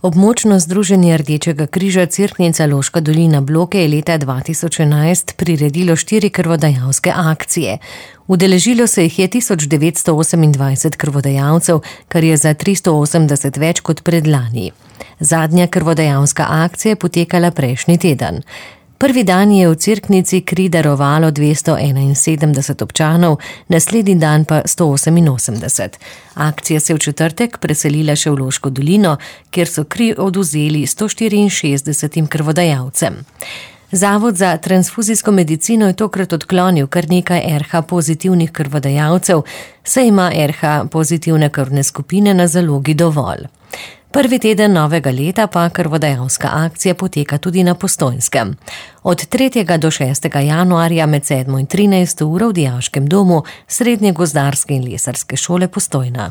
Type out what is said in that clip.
Območno združenje Rdečega križa Cerknica Loška dolina Bloke je leta 2011 priredilo 4 krvodajalske akcije. Udeležilo se jih je 1928 krvodajalcev, kar je za 380 več kot predlani. Zadnja krvodajalska akcija je potekala prejšnji teden. Prvi dan je v Cerknici kri darovalo 271 občanov, naslednji dan pa 188. Akcija se je v četrtek preselila še v Loško dolino, kjer so kri odvzeli 164 krvodajalcem. Zavod za transfuzijsko medicino je tokrat odklonil kar nekaj RH pozitivnih krvodajalcev, saj ima RH pozitivne krvne skupine na zalogi dovolj. Prvi teden novega leta pa krvodajalska akcija poteka tudi na Postojnskem. Od 3. do 6. januarja med 7. in 13. uro v Dijaškem domu Srednje gozdarske in lesarske šole Postojna.